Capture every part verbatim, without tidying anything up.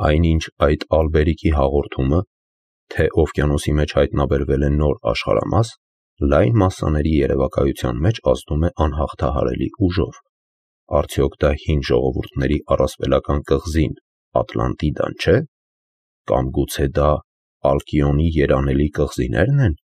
Այնինչ այդ Ալբերիկի հաղորդումը, թե օվկիանոսի մեջ հայտնաբերվել է նոր աշխարհամաս, լայն մասսաների երևակայության մեջ ազդում է անհաղթահարելի ուժով։ Արդյոք դա հին ժողովուրդների առասպելական կղզին Ատլանտիդան չէ՞։ Կամ գուցե դա Ալկիոնի երանելի կղզիներն են։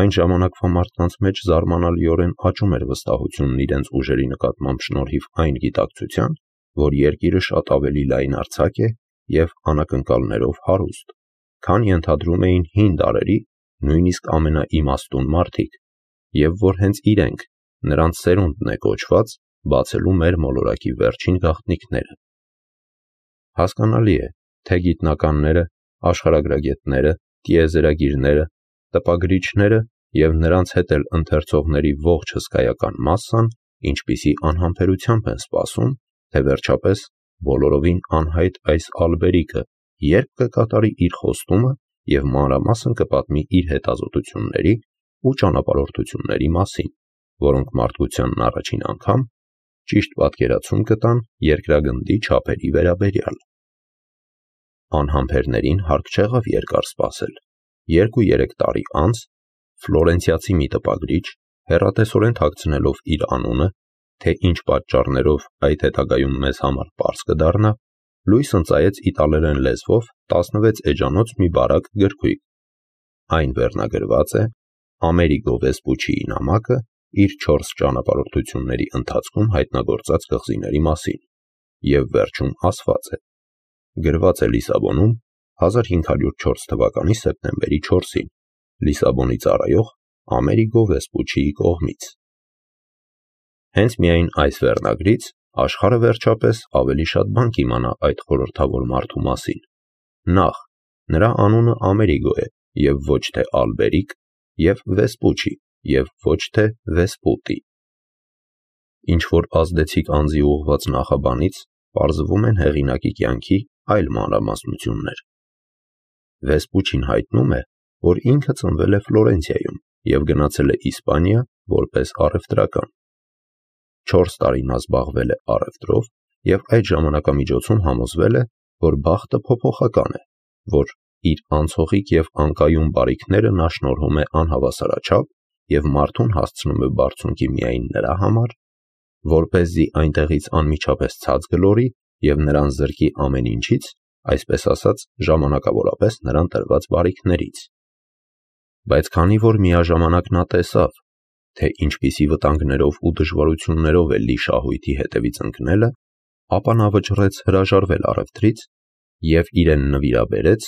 Այն ժամանակվա մարդկանց մեջ զարմանալիորեն աճում էր վստահությունն իրենց ուժերի նկատմամբ շնորհիվ այն գիտակցության, որ երկիրը շատ ավելի լայնարձակ է և անակնկալներով հարուստ, քան ենթադրում էին հին դարերի նույնիսկ ամենաիմաստուն մարդիկ, և որ հենց իրենք, նրանց սերունդն է կոչված բացելու մեր մոլորակի վերջին գաղտնիքները։ Հասկանալի է, թե գիտնականները, աշխարհագրագետները, տիեզերագիրները, տպագրիչները և նրանց հետ էլ ընթերցողների ողջ հսկայական մասսան ինչպիսի անհամբերությամբ են սպասում, թե վերջապես բոլորովին անհայտ այս Ալբերիկը երբ կկատարի իր խոստումը և մանրամասն կպատմի իր հետազոտությունների ու ճանապարհորդությունների մասին, որոնք մարդկությանն առաջին անգամ ճիշտ պատկերացում կտան երկրագնդի չափերի վերաբերյալ։ Անհամբերներին հարկ չեղավ երկար սպասել։ Երկու-երեք տարի անց ֆլորենցիացի մի տպագրիչ, հեռատեսորեն թաքցնելով իր անունը, թե ինչ պատճառներով այդ հետագայում մեզ համար պարզ կդառնա, լույս ընծայեց իտալերեն լեզվով տասնվեց էջանոց մի բարակ գրքույկ։ Այն վերնագրված է Ամերիգո Վեսպուչիի նամակը իր չորս ճանապարհորդությունների ընթացքում հայտնագործած կղզիների մասին, և վերջում ասված է. գրված է Լիսաբոնում հազար հինգ հարյուր չորս թվականի սեպտեմբերի չորսին, Լիսաբոնի ծառայող Ամերիգո Վեսպուչիի կողմից։ Հենց միայն այս վերնագրից աշխարհը վերջապես ավելի շատ բան կիմանա այդ խորհրդավոր մարդու մասին։ Նախ, նրա անունը Ամերիգո է և ոչ թե Ալբերիկ, և Վեսպուչի և ոչ թե Վեսպուտի։ Ինչ-որ ազդեցիկ անձի ուղղված նախաբանից պարզվում են հեղինակի կյանքի այլ մանրամասնություններ։ Վեսպուչին հայտնում է, որ ինքը ծնվել է Ֆլորենցիայում և գնացել է Իսպանիա որպես առևտրական։ Չորս տարի նա զբաղվել է առևտրով և այդ ժամանակամիջոցում համոզվել է, որ բախտը փոփոխական է, որ իր անցողիկ և անկայուն բարիքները նա շնորհում է անհավասարաչափ և մարդուն հասցնում է բարձունքի միայն նրա համար, որպեսզի այնտեղից անմիջապես ցած գլորի և նրան զրկի ամեն ինչից, այսպես ասած, ժամանակավորապես նրան տրված բարիքներից։ Բայց քանի որ միաժամանակ նա տեսավ, թե ինչպիսի վտանգներով ու դժվարություններով է լի շահույթի հետևից ընկնելը, ապա նա վճռեց հրաժարվել առևտրից և իրեն նվիրաբերեց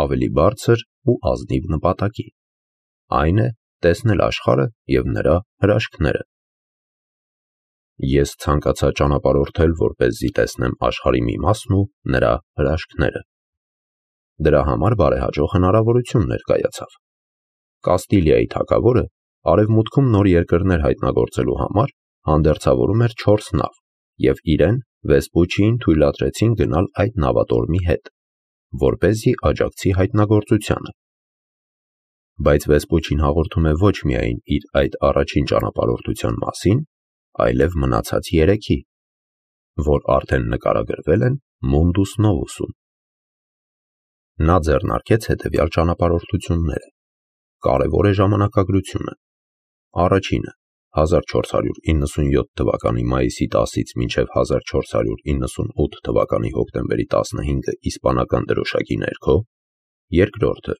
ավելի բարձր ու ազնիվ նպատակի, այն է տեսնել աշխարհը և նրա հրաշքները։ Ես ցանկացա ճանապարհորդել, որպեսզի տեսնեմ աշխարհի մի մասն ու նրա հրաշքները։ Դրա համար բարեհաջող հնարավորություն ներկայացավ։ Կաստիլիայի թագավորը արևմուտքում նոր երկրներ հայտնագործելու համար հանդերձավորում էր չորս նավ, և իրեն Վեսպուչիին թույլատրեցին գնալ այդ նավատորմի հետ, որպեսզի աջակցի հայտնագործությանը։ Բայց Վեսպուչին հաղորդում է ոչ միայն իր այդ առաջին ճանապարհորդության մասին, այլև մնացած երեքի, որ արդեն նկարագրվել են Mundus Novus-ում։ Նա ձեռնարկեց հետևյալ ճանապարհորդությունները։ Կարևոր է ժամանակագրությունը։ Առաջինը հազար չորս հարյուր իննսունյոթ թվականի մայիսի տասից մինչև հազար չորս հարյուր իննսունութ թվականի հոկտեմբերի տասնհինգը իսպանական դրոշակի ներքո։ Երկրորդը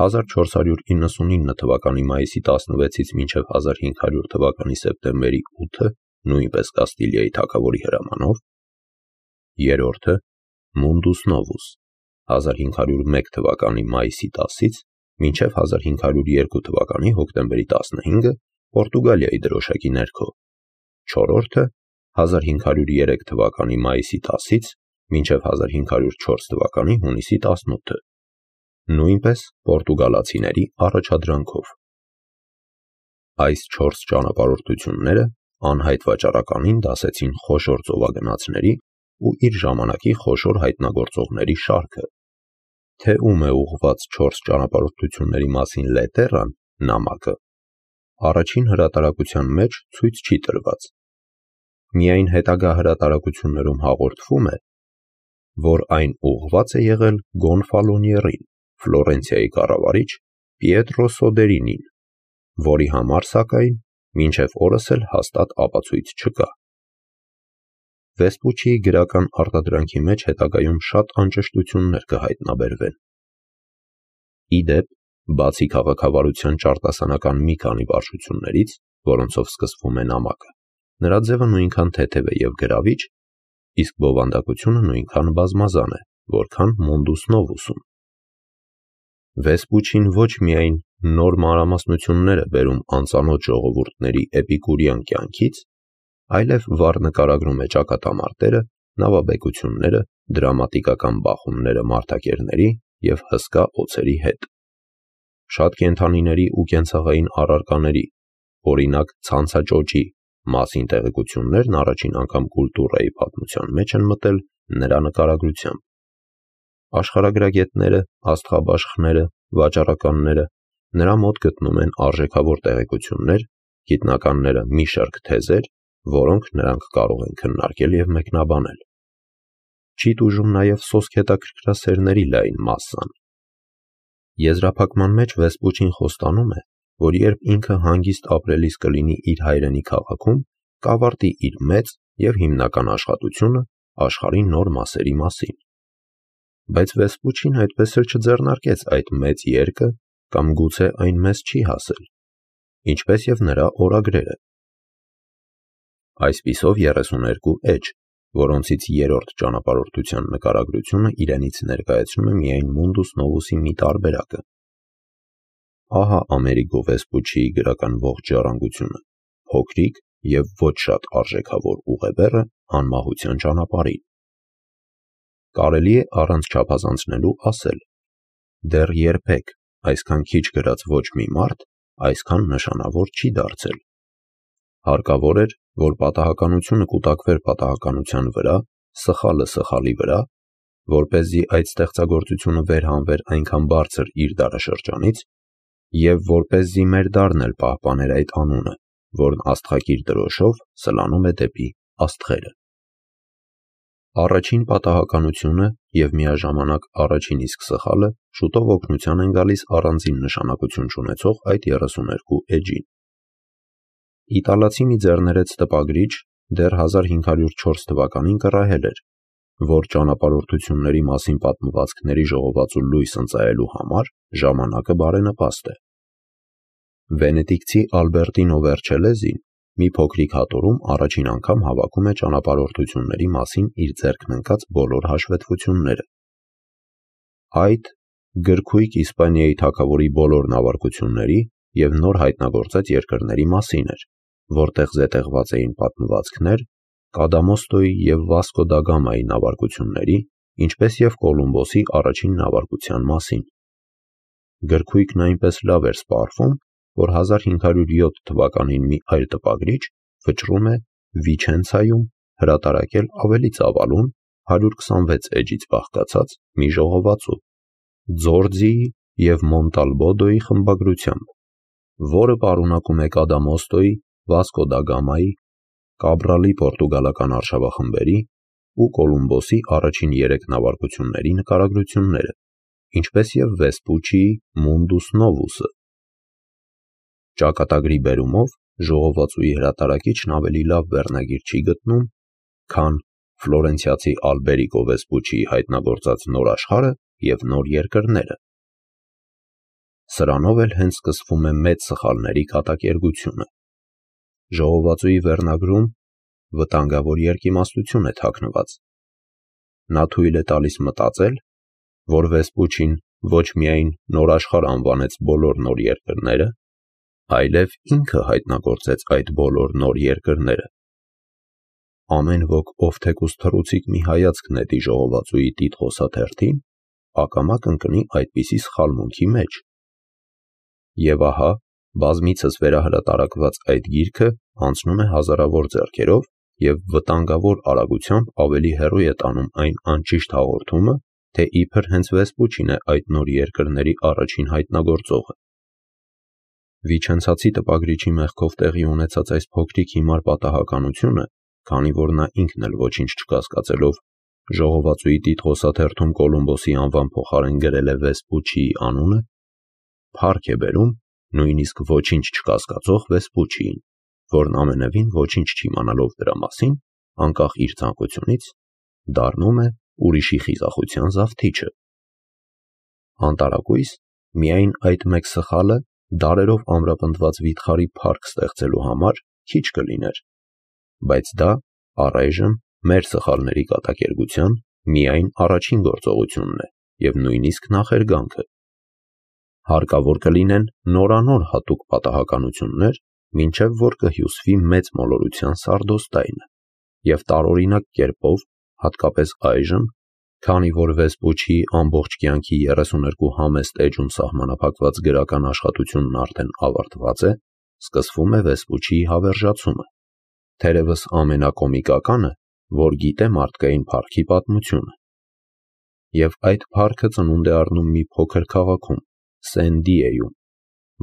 հազար չորս հարյուր իննսունինը թվականի մայիսի տասնվեցից մինչև հազար հինգ հարյուր թվականի սեպտեմբերի ութը, նույնպես Կաստիլիայի թագավորի հրամանով։ Երրորդը Mundus Novus հազար հինգ հարյուր մեկ թվականի մայիսի տասից մինչև հազար հինգ հարյուր երկու թվականի հոկտեմբերի տասնհինգը Պորտուգալիայի դրոշակի ներքո։ Չորրորդը հազար հինգ հարյուր երեք թվականի մայիսի տասից մինչև հազար հինգ հարյուր չորս թվականի հունիսի տասնութը, նույնպես պորտուգալացիների առաջադրանքով։ Այս չորս ճանապարհորդությունները անհայտ վաճառականին դասեցին խոշոր ծովագնացների ու իր ժամանակի խոշոր հայտնագործողների շարքը։ Թե ում է ուղղված չորս ճանապարհորդությունների մասին լետերան նամակը, առաջին հրատարակության մեջ ցույց չի տրված։ Միայն հետագա հրատարակություններում հաղորդվում է, որ այն ուղղված է եղել Գոնֆալոնիերին, Ֆլորենցիայի կառավարիչ Պիետրո Սոդերինին, որի համար, սակայն, մինչև օրս էլ հաստատ ապացույց չկա։ Վեսպուչիի գրական արտադրանքի մեջ հետագայում շատ անճշտություններ կհայտնաբերվեն։ Ի դեպ, բացի քաղաքավարության ճարտասանական մի քանի վարժություններից, որոնցով սկսվում է նամակը, նրա ձևը նույնքան թեթև է և գրավիչ, իսկ բովանդակությունը նույնքան բազմազան է, որքան Մունդուս Նովուսում։ Վեսպուչին ոչ միայն նոր մանրամասնություններ է բերում անծանոթ ժողովուրդների էպիկուրյան կյանքից, այլև վառ նկարագրում է ճակատամարտերը, նավաբեկությունները, դրամատիկական բախումները մարդակերների և հսկա օձերի հետ։ Շատ կենդանիների ու կենցաղային առարկաների, օրինակ ցանցաճոճի մասին տեղեկություններն առաջին անգամ կուլտուրայի պատմության մեջ են մտել նրա նկարագրությամբ։ Աշխարհագրագետները, աստղաբաշխները, վաճառականները նրա մոտ գտնում են արժեքավոր տեղեկություններ, գիտնականները մի շարք թեզեր, որոնք նրանք կարող են քննարկել և մեկնաբանել։ Չի տուժում նաև սոսկ հետաքրքրասերների լայն մասսան։ Եզրափակման մեջ Վեսպուչին խոստանում է, որ երբ ինքը հանգիստ ապրելիս կլինի իր հայրենի քաղաքում, կավարտի իր մեծ և հիմնական աշխատությունը աշխարհի նոր մասերի մասին։ Բայց Վեսպուչին այդպես էլ չձեռնարկեց այդ մեծ երկը, կամ գուցե այն մեզ չի հասել, ինչպես և նրա օրագրերը։ Այսպիսով երեսուներկու էջ, որոնցից երրորդ ճանապարհորդության նկարագրությունը իրենից ներկայացնում է միայն Մունդուս Նովուսի մի տարբերակը։ Ահա Ամերիգո Վեսպուչիի գրական ողջ ժառանգությունը, փոքրիկ և ոչ շատ արժեքավոր ուղեբեռը անմահության ճանապարհին։ Կարելի է առանց չափազանցնելու ասել. դեռ երբեք այսքան քիչ գրած ոչ մի մարդ այսքան նշանավոր չի դարձել։ Հարկավոր էր, որ պատահականությունը կուտակվեր պատահականության վրա, սխալը սխալի վրա, որպեսզի այդ ստեղծագործությունը վերհանվեր այնքան բարձր իր դարաշրջանից, և որպեսզի մեր դարն էլ պահպաներ այդ անունը, որն աստղակիր դրոշով սլանում է դեպի աստղերը։ Առաջին պատահականությունը և միաժամանակ առաջին իսկ սխալը շուտով օգնության են գալիս առանձին նշանակություն չունեցող այդ երեսուներկու էջին։ Իտալացի մի ձեռներեց տպագրիչ դեռ հազար հինգ հարյուր չորս թվականին կռահել էր, որ ճանապարհորդությունների մասին պատմվածքների ժողովածու լույս ընծայելու համար ժամանակը բարենպաստ է։ Վենետիկցի Ալբերտինո Վերչելեզին մի փոքրիկ հատորում առաջին անգամ հավաքում է ճանապարհորդությունների մասին իր ձեռքն ընկած բոլոր հաշվետվությունները։ Այդ գրքույկ Իսպանիայի թագավորի բոլոր նավարկությունների և նոր հայտնագործած երկրների մասին էր, որտեղ զետեղված էին պատմվածքներ Կադամոստոյի և Վասկո դա Գամայի նավարկությունների, ինչպես և Կոլումբոսի առաջին նավարկության մասին։ Գրքույկն այնպես լավ էր սպառվում, որ հազար հինգ հարյուր յոթ թվականին մի այլ տպագրիչ վճռում է Վիչենցայում հրատարակել ավելի ծավալուն հարյուր քսանվեց էջից բաղկացած մի ժողովածու Ձորձիի և Մոնտալբոդոյի խմբագրությամբ, որը պարունակում է Կադամոստոյի, Վասկո դա Գամայի, Կաբրալի պորտուգալական արշավախմբերի ու Կոլումբոսի առաջին երեք նավարկությունների նկարագրությունները, ինչպես և Վեսպուչիի Մունդուս Նովուսը։ Ճակատագրի բերումով ժողովածուի հրատարակիչն ավելի լավ վերնագիր չի գտնում, քան ֆլորենցիացի Ալբերիգո Վեսպուչիի հայտնագործած Նոր աշխարհը և նոր երկրները։ Սրանով էլ հենց սկսվում է մեծ սխալների կատակերգությունը։ Ժողովածուի վերնագրում վտանգավոր երկիմաստություն է թաքնված։ Նա թույլ է տալիս մտածել, որ Վեսպուչին ոչ միայն Նոր աշխարհ անվանեց բոլոր նոր երկրները, այլև ինքը հայտնագործեց այդ բոլոր նոր երկրները։ Ամեն ոք, ով թեկուզ թռուցիկ մի հայացք նետի ժողովածուի տիտղոսաթերթին, ակամա կընկնի այդպիսի սխալմունքի մեջ։ Եվ ահա, բազմիցս վերահրատարակված այդ գիրքը անցնում է հազարավոր ձեռքերով և վտանգավոր արագությամբ ավելի հեռու է տանում այն անճիշտ հաղորդումը, թե իբր հենց Վեսպուչին է այդ նոր երկրների առաջին հայտնագործողը։ Վիչենցացի տպագրիչի մեղքով տեղի ունեցած այս փոքրիկ հիմար պատահականությունը, քանի որ նա ինքն էլ ոչինչ չկասկածելով ժողովածուի Տիտղոսաթերթում Կոլումբոսի անվան փոխարեն գրել է Վեսպուչիի անունը, փառք է բերում նույնիսկ ոչինչ չկասկածող Վեսպուչիին, որն ամենևին ոչինչ չիմանալով դրա մասին, անկախ իր ցանկությունից, դառնում է ուրիշի խիզախության զավթիչը։ Անտարակույս միայն այդ մեկ սխալը դարերով ամրապնդված վիթխարի փառք ստեղծելու համար քիչ կլիներ, բայց դա առայժմ մեր սխալների կատակերգության միայն առաջին գործողությունն է և նույնիսկ նախերգանքը։ Հարկավոր կլինեն նորանոր հատուկ պատահականություններ, մինչև որ կհյուսվի մեծ մոլորության սարդոստայնը, և տարօրինակ կերպով, հատկապես այժմ, քանի որ Վեսպուչիի ամբողջ կյանքի երեսուներկու համեստ էջում սահմանափակված գրական աշխատությունն արդեն ավարտված է, սկսվում է Վեսպուչիի հավերժացումը, թերևս ամենակոմիկականը, որ գիտե մարդկային փառքի պատմությունը։ Եվ այդ փառքը ծնունդ է առնում մի փոքր քաղաքում, Սեն-Դիեգոյում,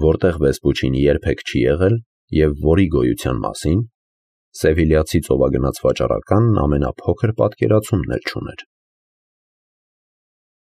որտեղ Վեսպուչին երբեք չի եղել և որի գոյության մասին սևիլյացի ծովագնաց վաճառականն ամենափոքր պատկերացումն էլ չուներ։